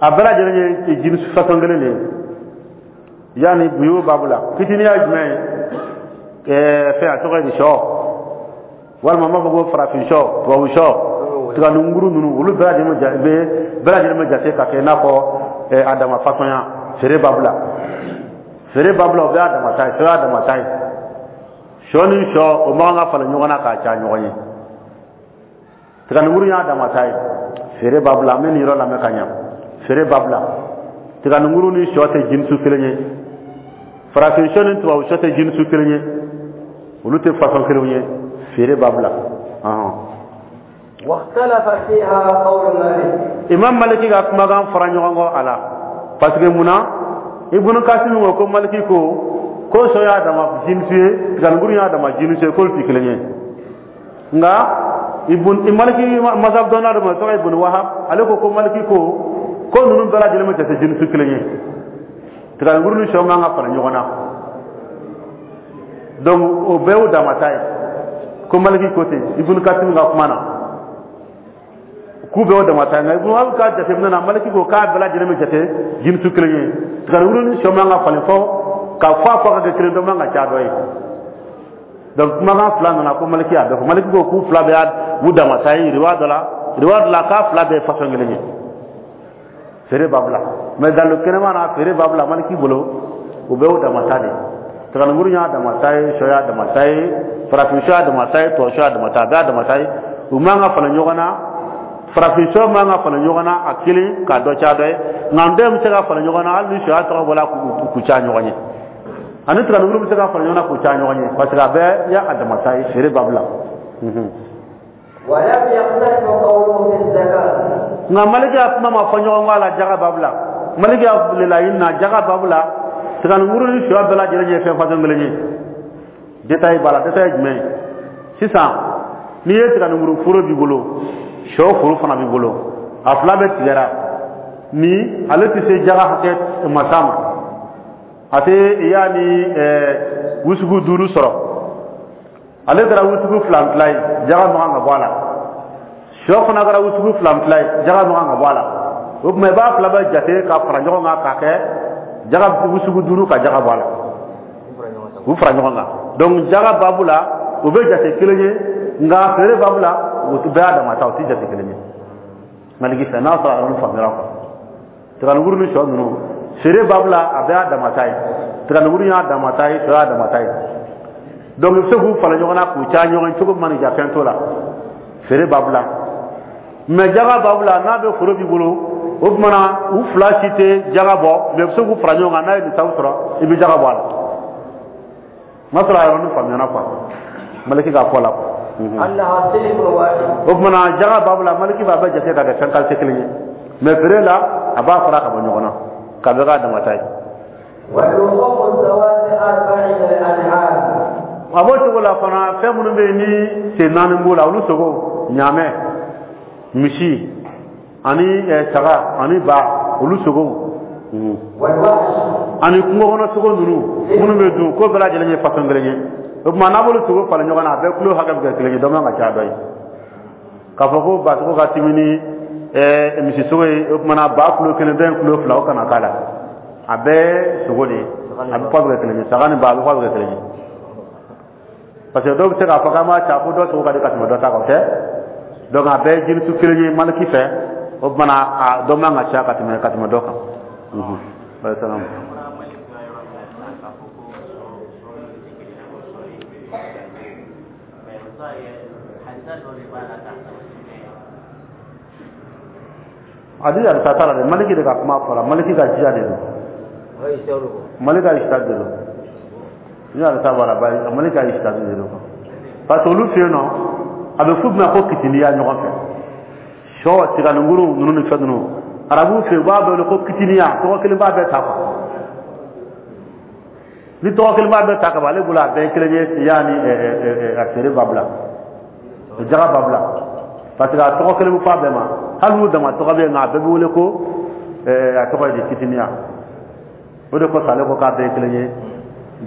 a bɛɛ lajɛlen ye jinsi façon kelen de ye, yaani buyu babu la. Kitiniya ye jumɛn ye? Fɛn a tɔgɔ ye di? Sɔ, walima n b'a fɔ ko farafin sɔ, tubabu sɔ, tiganunguru ninnu, olu bɛɛ lajɛlen bɛ jate ka kɛ i n'a fɔ a dama façon ya feere babu la. Feere babu la, o bɛɛ y'a dama ta ye. Sɔ y'a dama ta ye. Sɔ ni sɔ, o man kan ka falen ɲɔgɔn na k'a caya ɲɔgɔn ye. Tiganunguru y'a dama ta ye feere babu la. An bɛ nin yɔrɔ lamɛn ka ɲa. Feere babu la, tiganunguru ni sɔ tɛ jinsu kelen ye, farafin sɔ ni tubabu sɔ tɛ jinsu kelen ye, olu tɛ façon kelenw ye feere babu la. واختلف فيها قول مالك. Imam Maliki ka kumakan fara ɲɔgɔn kɔ a la, parce que munna? Ibunu Kasimi ko Maliki ko sɔ y'a dama jinsu ye, tiganunguru y'a dama jinsu ye, k'olu tɛ kelen ye. Nka ibun Maliki mazhab dɔnna dɔ ma, tɔgɔ Ibn Wahab, ale ko Maliki ko ninnu bɛɛ lajɛlen bɛ jate jinsu kelen ye, tiganunguru ni sɔ man ka fara ɲɔgɔn na. Donc o bɛɛ y'u dama ta ye. Ko Maliki ko ten Ibn Kasim ka kuma na, k'u bɛɛ y'o dama ta ye. Nka Ibn Wahab ka jateminɛ na, Maliki ko k'a bɛɛ lajɛlen bɛ jate jinsu kelen ye, tiganunguru ni sɔ man ka falen fɔ ka fɔ a fɔ ka kɛ kelen, dɔ man ka ca dɔ ye. Donc kumakan fila nana ko Maliki y'a bɛɛ fɔ. Maliki ko k'u fila bɛɛ y'u dama ta ye riwa dɔ la, riwa dɔ la k'a fila bɛɛ ye façon kelen ye feere babu la. Mais dalu kɛnɛma na, feere babu la, Maliki bolo, u bɛɛ y'u dama ta de ye. Tiganunguru y'a dama ta ye, sɔ y'a dama ta ye, farafin sɔ y'a dama ta ye, tubabu sɔ y'a dama ta ye, a bɛɛ y'a dama ta ye. U man ka falen ɲɔgɔn na. Farafin sɔ man ka falen ɲɔgɔn na a kelen k'a dɔ ca dɔ ye, nka n den bɛ se ka falen ɲɔgɔn na, hali ni sɔ y'a tɔgɔ bɔla, k'u ca ɲɔgɔn ye, ani tiganunguru bɛ se ka falen ɲɔgɔn na k'u ca ɲɔgɔn ye, parce que a bɛɛ y'a dama ta ye feere babu la. ولم يختلف قوله في الزكاة. Nka Maliki ya kuma ma fɔ ɲɔgɔn kɔ a la jaga babu la. Maliki ya laɲini na jaga babu la, tiganunguru ni sɔ bɛɛ lajɛlen ye fɛn façon kelen ye. Détail b'a la. Détail ye jumɛn ye? Sisan n'i ye tiganunguru foro b'i bolo, sɔ foro fana b'i bolo, a fila bɛɛ tigɛra, ni ale tɛ se jaga hakɛ masa ma. A tɛ yaani wusugu 5 sɔrɔ, ale kɛra wusugu 2 tila ye, jaga man kan ka bɔ a la. Sɔ fana kɛra wusugu 2 tila ye, jaga man kan ka bɔ a la. O tuma i b'a fila bɛɛ jate ka fara ɲɔgɔn kan k'a kɛ jaga wusugu 5 ka jaga bɔ a la, k'u fara ɲɔgɔn kan. Donc jaga babu la o bɛ jate kelen ye, nka feere babu la o bɛɛ y'a dama ta, o tɛ jate kelen ye. Maliki fɛ n'a sɔrɔ a yɔrɔnin faamuyara quoi. Tiganikuru ni sɔ ninnu feere babu la a bɛɛ y'a dama ta ye, tiganikuru y'a dama ta ye, sɔ y'a dama ta ye. Donc i bɛ se k'u fara ɲɔgɔn na k'u caya ɲɔgɔn cogo min mana ja, fɛn t'o la feere babu la. Mais jaga babu la, n'a bɛ foro b'i bolo, o tuma na u fila si tɛ jaga bɔ, mais i bɛ se k'u fara ɲɔgɔn kan, n'a ye nisabu sɔrɔ i bɛ jaga bɔ a la. N'a sɔrɔ a yɔrɔnin faamuyana quoi, Maliki k'a fɔ la quoi. O tuma na jaga babu la, Maliki b'a bɛɛ jate ka kɛ fɛn qualité kelen ye, mais feere la a b'a fara ka bɔ ɲɔgɔn na k'a bɛɛ k'a dama ta ye. A b'o cogo la fana, fɛn minnu bɛ yen ni sen 4 b'o la, olu sogo, ɲaamɛ, misi ani saga ani ba, olu sogo ani kungo kɔnɔ sogo ninnu minnu bɛ dun, k'o bɛɛ lajɛlen ye façon kelen ye. O tuma n'a b'olu sogo falen ɲɔgɔn na, a bɛɛ kilo hakɛ bɛ kɛ kelen ye, dɔ man ka caya dɔ ye. K'a fɔ ko ba sogo ka timi ni misi sogo ye, o tuma na ba kilo 1, dɔ in kilo 2, o kana k'a la. A bɛɛ sogo de ye, a bɛ fɔ bɛ kɛ kelen ye, saga ni ba a bɛ fɔ bɛ kɛ kelen ye. Parce que dɔw bɛ se k'a fɔ k'an b'a ca ko dɔ sogo ka di ka tɛmɛ dɔ ta kan, o tɛ. Donc a bɛɛ ye jiritu kelen ye Maliki fɛ, o tuma na a dɔ man ka ca ka tɛmɛ dɔ kan. Adi hadisa t'a la dɛ, Maliki de ka kuma fɔra, Maliki ka jiya de don, Maliki ka ijtihad de don. Ni hadisa b'a la, bayi Maliki ka ijtihad de don. Parce que olu fɛ yen nɔ, a bɛ f'u ma ko kitiniya ɲɔgɔn fɛ, sɔ, tiganikuru ninnu ni fɛn ninnu, arabuw fɛ yen u b'a bɛɛ wele ko kitiniya, tɔgɔ kelen b'a bɛɛ ta quoi. Ni tɔgɔ kelen b'a bɛɛ ta ka ban, ale bolo a bɛɛ ye kelen ye, yaani a feere ba bila, jaga ba bila, parce que a tɔgɔ kelen bɛ fɔ a bɛɛ ma, hali n'u dama tɔgɔ bɛ yen, nka a bɛɛ bɛ wele ko a tɔgɔ ye di, kitiniya. O de kosɔn ale ko k'a bɛɛ ye kelen ye,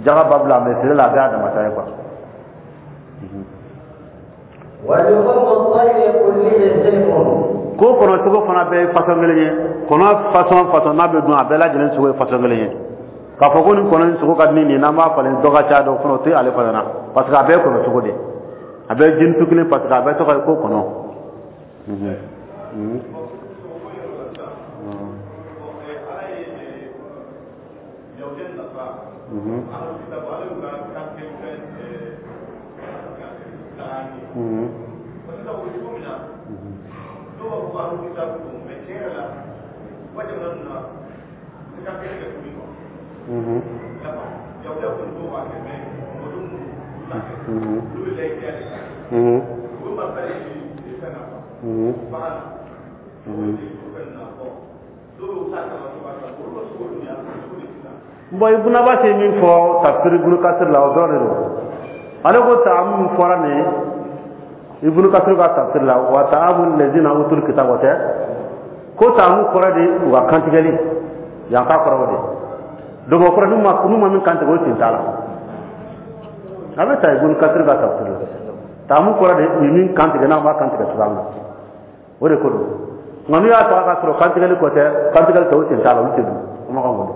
jaga ba bila, mais feere la a bɛɛ y'a dama ta ye quoi. Ko kɔnɔ sogo fana bɛɛ ye façon kelen ye, kɔnɔ façon n'a bɛ dun, a bɛɛ lajɛlen sogo ye façon kelen ye. K'a fɔ ko nin kɔnɔ in sogo ka di ni nin ye, n'an b'a falen dɔ ka ca dɔ fana, o tɛ ale fana na, parce que a bɛɛ ye kɔnɔ sogo de ye, a bɛɛ ye jinitu kelen, parce que a bɛɛ tɔgɔ ye ko kɔnɔ. Bon, Ibn Abbas ye min fɔ tafsir Ibn Kasir la, o dɔrɔn de don. Ale ko taamu min fɔra nin ye Ibn Kasir ka tafsir la, wa taamu lezina utul kitab, o tɛ ko taamu kɔrɔ de u ka kantigɛli, yan k'a kɔrɔ o de. Donc o kɔrɔ n'u ma min kantigɛ, o sen t'a la. A bɛ ta Ibn Kasir ka tafsir la, taamu kɔrɔ de u ye min kantigɛ, n'a b'a kantigɛ cogoya min na, o de ko don. Nka n'u y'a ta k'a sɔrɔ kantigɛli kɔ tɛ, kantigɛli tɛ, o sen t'a la, olu tɛ dun, o ma kan k'o dɔn.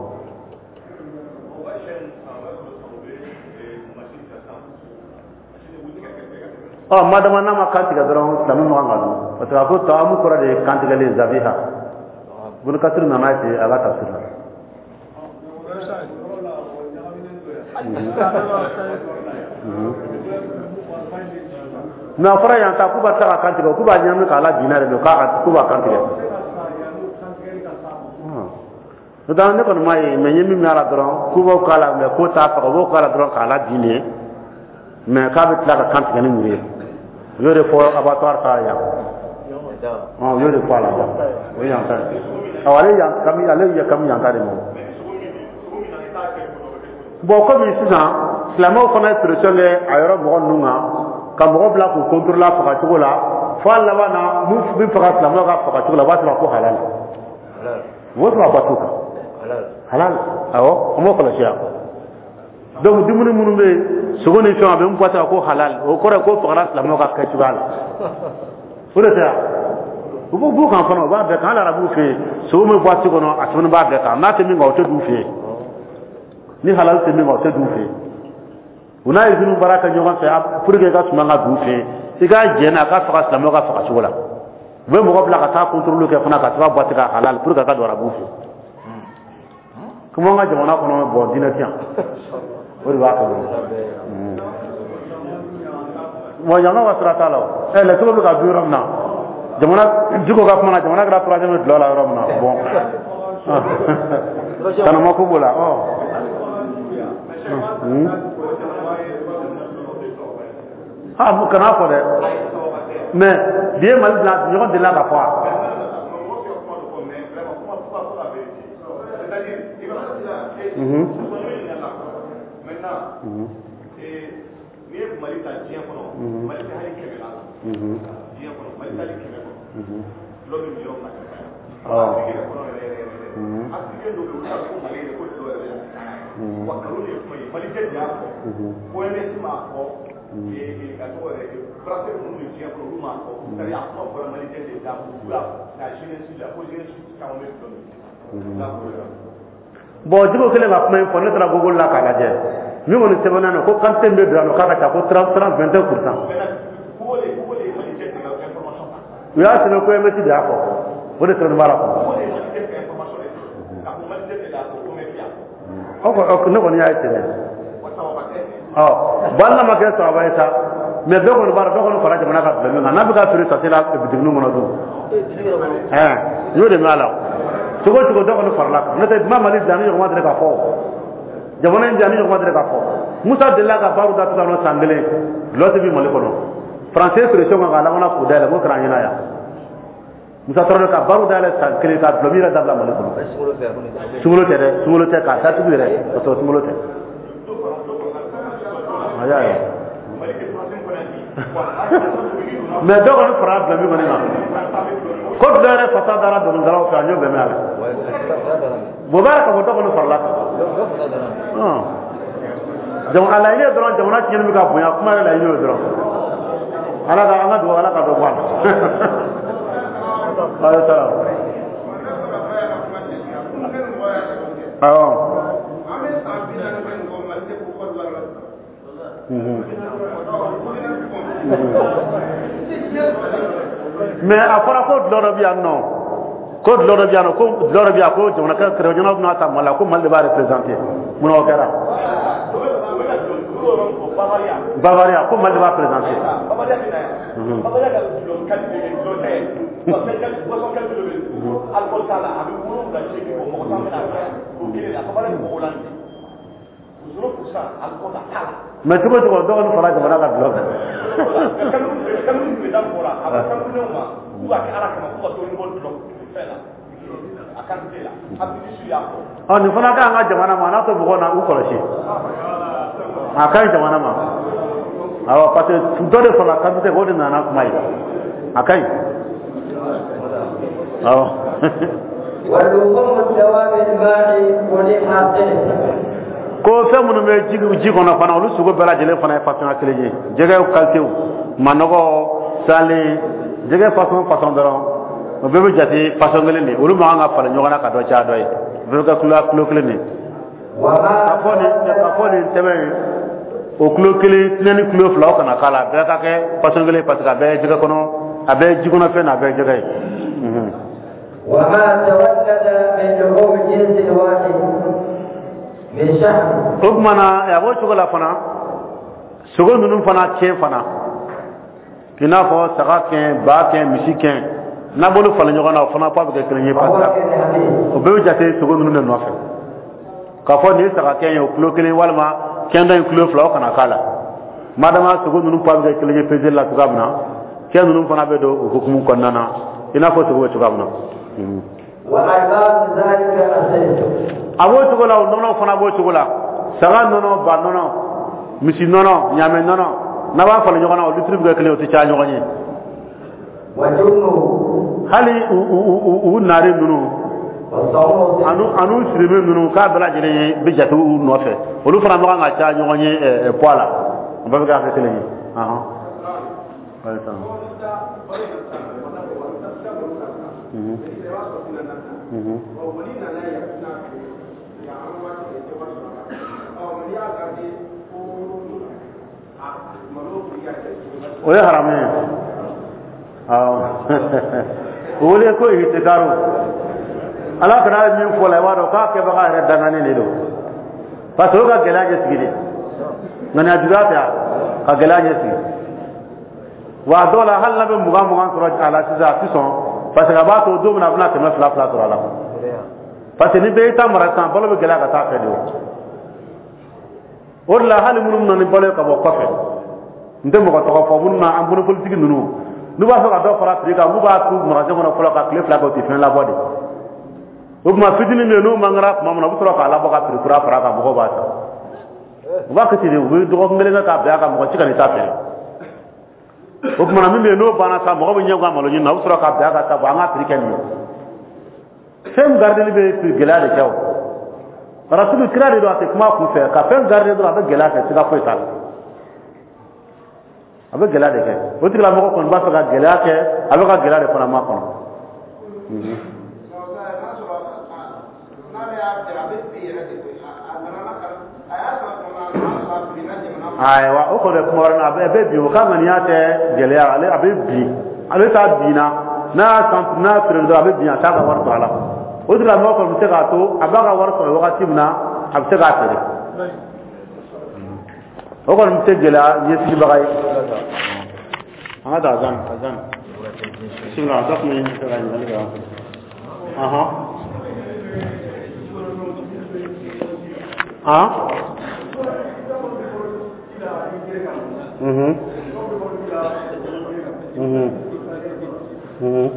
Ɔ, madama n'a ma kantigɛ dɔrɔn, silamɛ ma kan ka dun, parce que a ko taamu kɔrɔ de ye kantigɛli ye, zabiha. Ibn Kasir nana ye ten a ka tafsir la. Mais a fɔra yan ta k'u b'a ta ka kantigɛ, k'u b'a ɲagami k'a la binna de don, k'u b'a kantigɛ. N'o tɛ ne kɔni m'a ye, mais n ye min mɛn a la dɔrɔn, k'u b'o k'a la, mais k'o t'a faga, u b'o k'a la dɔrɔn k'a la bin de ye, mais k'a bɛ tila ka kantigɛ ni muru ye. U y'o de fɔ abattoir ta yan. U y'o de fɔ a la yan. O ye yan ta ye. Awɔ, ale yan kami, ale ye kami yan ta de ma. Bon, komi sisan silamɛw fana ye pression kɛ a yɔrɔ mɔgɔ ninnu kan, ka mɔgɔ bila k'u contrôler a fagacogo la, fo a laban na mun bɛ faga silamɛw ka fagacogo la, u b'a sɔrɔ ko halal. U b'o sɔrɔ a bato kan. Halal, awɔ, an b'o kɔlɔsi yan. Donc dumuni minnu bɛ yen, sogo ni fɛnw, a bɛ mun fɔ ko halal, o kɔrɔ ye ko fagara silamɛw ka kɛcogoya la. O de tɛ yan, u b'u b'u kan fana, u b'a bɛɛ kan. Hali arabuw fɛ yen, sogo min boîte kɔnɔ, a sɛbɛnnen b'a bɛɛ kan. N'a tɛ min kan, o tɛ d'u fɛ yen. Ni halal tɛ min kan, o tɛ d'u fɛ yen. U n'a usine baara kɛ ɲɔgɔn fɛ pour que i ka suman ka d'u fɛ yen, i k'a jɛn n'a ka faga silamɛw ka faga cogo la. U bɛ mɔgɔ bila ka taa contrôle kɛ fana ka sɛbɛn boîte kan halal pour que a ka don arabuw fɛ yen. Komi an ka jamana kɔnɔ, bɔn, diinɛ tɛ yan, o de b'a kɛ dɔrɔn. Bon, jamana ka sira t'a la. O ɛ lɛtɛrɛ bɛ ka dun yɔrɔ min na, jamana Diko ka kuma na, jamana kɛra troisième dulɔ la yɔrɔ min na. Bon, tanama ko b'o la. Ɔ, ah, kana fɔ dɛ, mais bi ye Mali bila ɲɔgɔn delila ka fɔ a. N'i ye Mali ta diɲɛ kɔnɔ, Mali tɛ hali 100 la diɲɛ kɔnɔ. Mali tɛ hali 100 kɔnɔ dulɔ bɛ min yɔrɔ min na ka caya. Afiriki yɛrɛ kɔnɔ yɛrɛ yɛrɛ yɛrɛ, Afirikɛn dɔw bɛ yen, olu t'a dɔn ko Mali yɛrɛ ko dulɔ yɛrɛ bɛ caya. Wa nkalon de ye kuma ye, Mali jɛ de y'a fɔ, OMS m'a fɔ, a tɔgɔ yɛrɛ, brasserie minnu bɛ diɲɛ kɔnɔ, olu m'a fɔ. C'est à dire, a kuma bɔra Mali jɛ de da, k'u y'a la jeunesse la, ko jeunesse caman bɛ dulɔ min. Bon, Diko kɛlen ka kuma in fɔ, ne taara Google la k'a lajɛ. Min kɔni sɛbɛnnen don ko quantité min bɛ don yan nɔ, k'a ka ca, ko 30, 21%. U y'a sɛbɛn ko OMS de y'a fɔ, o de sɛbɛnnen b'a la kɔnɔ. O ne kɔni y'a ye ten dɛ. Ɔ bon, hali n'a ma kɛ sababa ye sa, mais bɛɛ kɔni b'a dɔn, dɔ kɔni fara jamana ka dulɔ min kan, n'a bɛ ka feere sachet la bitiginin kɔnɔ dun, ɛn, n y'o de mɛn a la. Cogo o cogo, dɔ kɔni farala kan. N'o tɛ, ma Mali bila ni ɲɔgɔn ma deli ka fɔ, jamana in bila ni ɲɔgɔn ma deli ka fɔ. Musa delila ka baaru datugu yan nɔ san kelen, dulɔ tɛ bin Mali kɔnɔ. Français pression kan k'a labanna k'o dayɛlɛ, k'o kɛra an ɲɛna yan. Musa Tarawele ka baaru dayɛlɛ san kelen ka dulɔ min yɛrɛ dabila Mali kɔnɔ. Sunkalo tɛ dɛ, sunkalo tɛ, k'a datugu yɛrɛ ka sɔrɔ sunkalo tɛ. A y'a ye, mais dɔ kɔni fara dulɔ min kɔni kan, ko dulɔ yɛrɛ fasa dara dɔnkilidalaw fɛ, an y'o bɛɛ mɛn a la. Bon, o b'a yira k'a fɔ dɔ kɔni farala kan. Donc a laɲini ye dɔrɔn, jamana tiɲɛni bɛ ka bonya, kuma yɛrɛ laɲini y'o dɔrɔn. Ala ka an ka dugawu, Ala ka dɔ bɔ a la. Ayi sara. Awɔ. Mais a fɔra ko dulɔ dɔ bɛ yan nɔ, ko dulɔ dɔ bɛ yan nɔ, ko dulɔ dɔ bɛ yan, ko jamana kɛrɛfɛ jamanaw bɛna ta Mali la, ko Mali de b'a représenté. Munna o kɛra? Bavaria, ko Mali de b'a présenté. Mais cogo cogo, dɔ kɔni fara jamana ka dulɔ kan. Ɔ, nin fana ka ɲi an ka jamana ma, a n'a to mɔgɔw na u kɔlɔsi, a ka ɲi jamana ma. Awɔ, parce que dɔ de farala quantité, o de nana kuma ye, a ka ɲi, awɔ. Ko fɛn minnu bɛ ji kɔnɔ fana, olu sogo bɛɛ lajɛlen fana ye façon kelen ye. Jɛgɛw qualitéw, manɔgɔ, salen, jɛgɛ façon façon dɔrɔn, o bɛɛ bɛ jate façon kelen de ye. Olu man kan ka falen ɲɔgɔn na ka dɔ caya dɔ ye, o bɛɛ bɛ kɛ kilo kelen de ye. Ka fɔ nin tɛmɛ in, o kilo kelen tinɛ ni kilo fila, o kana k'a la, a bɛɛ ka kɛ façon kelen, parce que a bɛɛ ye jɛgɛ kɔnɔ, a bɛɛ ye ji kɔnɔ fɛn na, a bɛɛ ye jɛgɛ ye. O tuma na, a b'o cogo la fana, sogo ninnu fana kɛn fana, i n'a fɔ saga kɛn, ba kɛn, misi kɛn, n'a b'olu falen ɲɔgɔn na, o fana poids bɛ kɛ kelen ye, parce que o bɛɛ bɛ jate sogo ninnu de nɔfɛ. K'a fɔ nin ye saga kɛn ye, o kilo kelen, walima kɛn dɔ in kilo fila, o kana k'a la. Madama sogo ninnu poids bɛ kɛ kelen ye peseli la cogoya min na, kɛn ninnu fana bɛ don o hukumu kɔnɔna na, i n'a fɔ sogo bɛ cogoya min na. A b'o cogo la, o nɔnɔ fana b'o cogo la, saga nɔnɔ, ba nɔnɔ, misi nɔnɔ, ɲaamɛ nɔnɔ, n'a b'a falen ɲɔgɔn na, o litiri bɛ kɛ kelen, o tɛ caya ɲɔgɔn ye. Hali u naare ninnu, Anu sirimɛ ninnu k'a bɛɛ lajɛlen ye bɛ jate u nɔfɛ, olu fana ma kan ka caya ɲɔgɔn ye poids la, o bɛɛ bɛ kɛ hakɛ kelen ye. O ye haramu ye. Awɔ, o wele ko ihtikaru. Ala kana min fɔ la, i b'a dɔn k'a kɛbaga yɛrɛ danganen de don, parce que o ka gɛlɛya ɲɛsigi de, ŋaniya juguya tɛ ka gɛlɛya ɲɛsigi. Wa a dɔw la hali n'a bɛ 20 sɔrɔ a la sisan, a ti sɔn, parce que a b'a to don min na a bɛna 200 sɔrɔ a la, parce que ni bɛɛ y'i ta mara sisan, balo bɛ gɛlɛya ka taa fɛ de. O de la hali minnu bɛ na ni balo ye ka bɔ kɔfɛ, n tɛ mɔgɔ tɔgɔ fɔ, minnu na an bolo politiki ninnu, n'u b'a fɛ ka dɔ fara prix kan, n'u b'a tu magasin kɔnɔ fɔlɔ ka tile 2 kɛ, u tɛ fɛn labɔ de. O tuma fitinin bɛ yen, n'o man kɛra tuma min na, u bɛ sɔrɔ k'a labɔ ka prix kura fara a kan, mɔgɔw b'a san. U b'a kɛ ten de, u bɛ dɔgɔkun kelen kɛ k'a bila a kan, mɔgɔ si ka n'i ta feere. O tuma na min bɛ yen n'o banna sa, mɔgɔ bɛ ɲɛ gan malo ɲini na, u bɛ sɔrɔ k'a bila a kan sa, bon an ka prix kɛ nin ye. Fɛn gardeli bɛ gɛlɛya de kɛ o. Rasulu kira de don, a tɛ kuma kun fɛ, ka fɛn garder dɔrɔn a bɛ gɛlɛya kɛ, siga foyi t'a la. A bɛ gɛlɛya de kɛ. O tigilamɔgɔ kɔni b'a fɛ ka gɛlɛya kɛ, a bɛ ka gɛlɛya de fana makɔnɔ. Ayiwa, o kɔni ye kuma wɛrɛ ye, a bɛ bin, o ka ŋaniya tɛ gɛlɛya, ale a bɛ bin, ale t'a binna, n'a y'a san, n'a y'a feere dɔrɔn a bɛ bin, a t'a ka wari sɔrɔ a la. O tigilamɔgɔ kɔni bɛ se k'a to a b'a ka wari sɔrɔ wagati min na, a bɛ se k'a feere. O kɔni bɛ se gɛlɛya ɲɛsigibaga ye. An ka taa azan azan. Bisimila, dɔ tun bɛ fɛ ka ɲininkali kɛ. Ɔhɔn. Han? Mhm. Mhm. Mhm.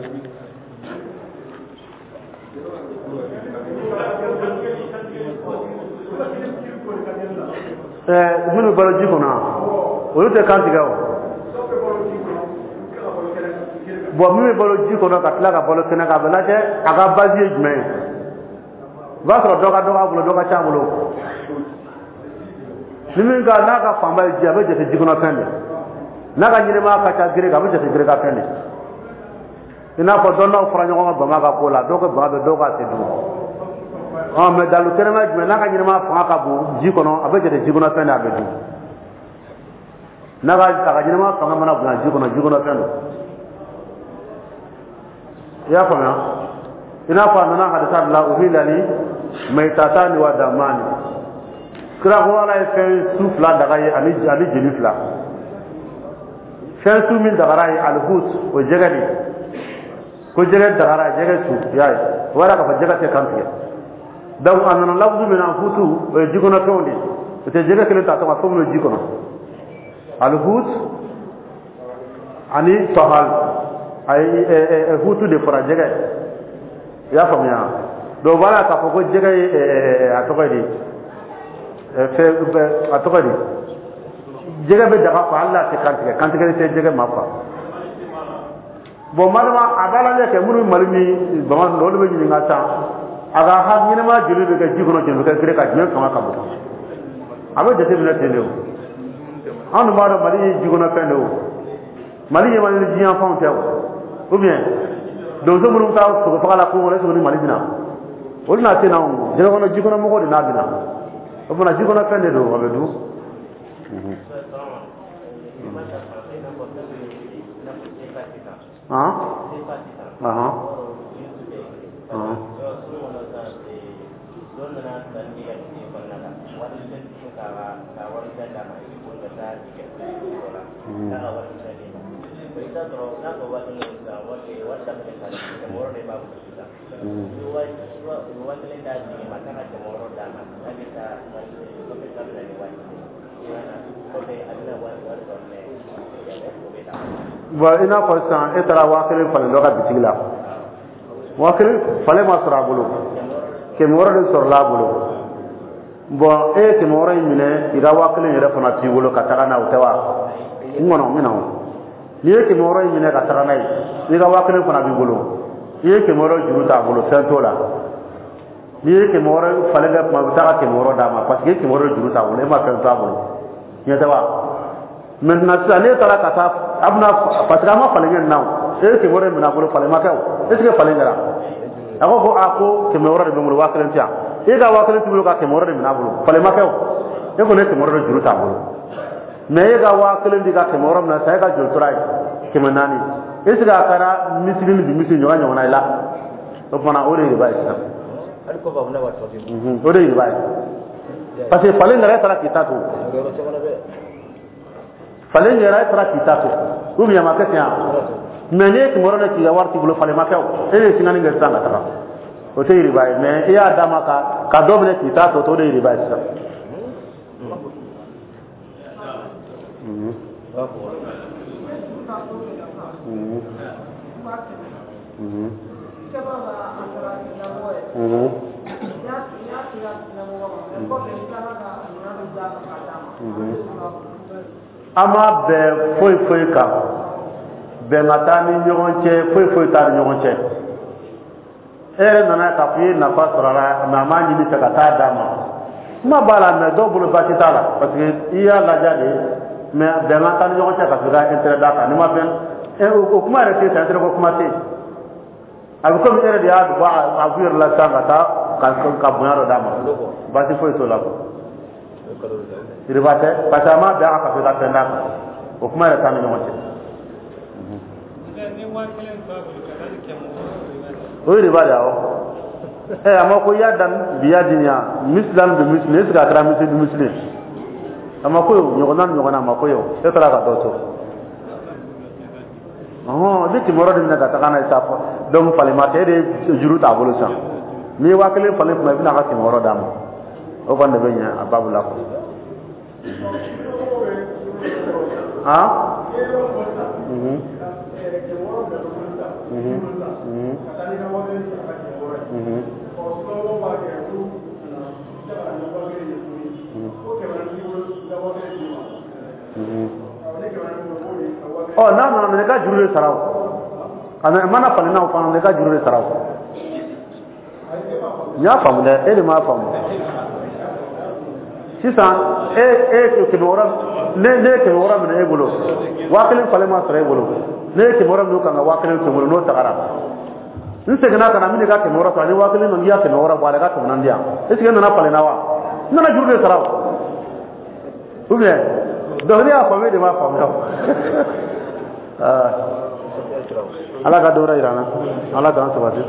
Minnu balo ji kɔnɔ, olu tɛ kan tigɛ o. Bon, min bɛ balo ji kɔnɔ ka tila ka balo kɛnɛ kan, a bɛ lajɛ a ka base ye jumɛn ye. I b'a sɔrɔ dɔ ka dɔgɔ a bolo, dɔ ka ca a bolo. Ni min ka n'a ka fanba ye ji, a bɛ jate ji kɔnɔ fɛn de. N'a ka ɲɛnɛmaya ka ca gere kan, a bɛ jate gere ka fɛn de. I n'a fɔ dɔnnaw fara ɲɔgɔn kan bama ka ko la, dɔw ka bama bɛ, dɔw ka tɛ dun. Mɛ dalu kɛnɛma ye jumɛn? N'a ka ɲɛnɛmaya fanga ka bon ji kɔnɔ, a bɛ jate ji kɔnɔ fɛn de, a bɛ dun. N'a ka a ka ɲɛnɛmaya fanga mana bonya ji kɔnɔ, ji kɔnɔ fɛn don. I y'a faamuya? I n'a fɔ a nana hadisa de la, uhilla li maytatani wa damani. Kira ko Ala ye fɛn su 2 daga ye ani jeli 2. Fɛn su min dagara ye alihut, o jɛgɛ de. Ko jɛgɛ dagara, jɛgɛ su, i y'a ye. O b'a yira k'a fɔ jɛgɛ tɛ kan tigɛ. Donc a nana lafuzu min na, hutu, o ye ji kɔnɔ fɛnw de ye. O tɛ jɛgɛ kelen ta tɔgɔ fɛn minnu ji kɔnɔ. Alihut ani tɔhal, a ye hutu de fɔra jɛgɛ. I y'a faamuya? Donc voilà k'a fɔ ko jɛgɛ ye a tɔgɔ ye di, fɛn a tɔgɔ ye di, jɛgɛ bɛ daga quoi, hali n'a tɛ kantigɛ, kantigɛli tɛ jɛgɛ ma quoi. Bon, madama a b'a lajɛ kɛ minnu bɛ Mali ni bama ninnu, olu bɛ ɲininka sisan, a ka ha ɲɛnɛmaya joli bɛ kɛ ji kɔnɔ, joli bɛ kɛ gere kan, jumɛn fanga ka bon? A bɛ jateminɛ ten de o. Anw dun b'a dɔn Mali ye ji kɔnɔ fɛn de o. Mali ɲɛ man di diɲɛ fanw tɛ o. Ou bien donso minnu bɛ taa sogo faga la kungo kɔnɔ, est ce que ni Mali bɛ na? Olu n'a tɛ na o. Jɛgɛ kɔnɔ, ji kɔnɔ mɔgɔw de n'a bɛ na. O fana ji kɔnɔ fɛn de don, a bɛ dun. Han? Ahan. Han. Bon, i n'a fɔ sisan e taara 5000 falen dɔ ka bitigi la, 5000 falen ma sɔrɔ a bolo, 600 de sɔrɔla a bolo. Bon, e ye 600 in minɛ, i ka 5000 yɛrɛ fana t'i bolo ka taga n'a ye, o tɛ wa? N kɔnɔ n bɛna o. N'i ye 600 in minɛ ka taga n'a ye, i ka 5000 fana b'i bolo, i ye 600 juru t'a bolo, fɛn t'o la. N'i ye 600 falen kɛ tuma, i bɛ taa ka 600 d'a ma, parce que 600 juru t'a bolo, e ma fɛn to a bolo. Ɲɛ tɛ wa? Maintenant sisan, n'e taara ka taa, a bɛna, parce que a ma falen kɛ nin na o, e ye 600 minɛ a bolo, falen ma kɛ o, est ce que falen kɛra? A ko ko aa, ko 600 de bɛ n bolo, 1000 tɛ yan. E ka 1000 t'i bolo, ka 600 de minɛ a bolo, falen ma kɛ o, e kɔni ye 600 de juru t'a bolo. Mais e ka 1000 di ka 600 minɛ sisan, e ka joli tora yen? 400. Est ce que a kɛra misiri ni bi misiri ɲɔgɔn ɲɔgɔnna ye la? O fana, o de ye riba ye sisan. O de ye riba ye, parce que falen kɛra, e taara k'i ta to. Falen kɛra, e taara k'i ta to, ou bien a ma kɛ ten wa? Mais n'i ye 600 de k'i ka wari t'i bolo, falen ma kɛ o, e de ye singani kɛ sisan ka taga, o tɛ riba ye. Mais i y'a d'a ma ka dɔ minɛ k'i ta to, o de ye riba ye sisan. An ma bɛn foyi foyi kan, bɛn ka taa ni ɲɔgɔn cɛ, foyi foyi t'a ni ɲɔgɔn cɛ. E yɛrɛ nana k'a fɔ i ye nafa sɔrɔ a la, mais a m'a ɲini fɛ ka taa d'a ma. Kuma b'a la, mais dɔw bolo baasi t'a la, parce que i y'a laja de. Mais bɛn ka taa ni ɲɔgɔn cɛ ka sɔrɔ ka intérêt d'a kan, n'i ma fɛn, o kuma yɛrɛ tɛ yen, intérêt ko kuma tɛ yen. A bɛ komi e yɛrɛ de y'a bɔ a b'u yɛrɛ la sisan ka taa ka bonya dɔ d'a ma, baasi foyi t'o la quoi. Riba tɛ, parce que a ma bɛn a kan ka fɔ i ka fɛn d'a kan, o kuma yɛrɛ t'an ni ɲɔgɔn cɛ. O ye riba de ye awɔ. A ma ko yadan bi yadin ya mislan bi mislin, est ce que a kɛra misli bi misli? A ma ko ye o, ɲɔgɔnna ni ɲɔgɔnna, a ma ko ye o, e taara ka dɔ to. Ɔhɔn, i bɛ 600 de minɛ ka taga n'a ye sa, donc falen ma kɛ, e de ye juru t'a bolo sisan. N'i ye 1000 falen tuma, i bɛna a ka 600 d'a ma, o kɔni de bɛ ɲɛ a babu la quoi. Han? Ɔ, n'a nana minɛ, i ka juru de sara o. A mana falen n'a fana, i ka juru de sara o. N y'a faamu dɛ, e de m'a faamu. Sisan e e 600, ne ye 600 minɛ e bolo, 1000 falen ma sɔrɔ e bolo, ne ye 600 minɛ o kan ka 1000 to n bolo, n'o tagara, n seginna ka na, n bɛna i ka 600 sɔrɔ, ni 1000 nana, i y'a 600 bɔ a la, i ka 400 di yan. Est ce que e nana falen na wa? N nana juru de sara o. Ou bien donc ne y'a faamu, e de m'a faamuya. Ala ka dɔ wɛrɛ yira an na, Ala k'an sabati.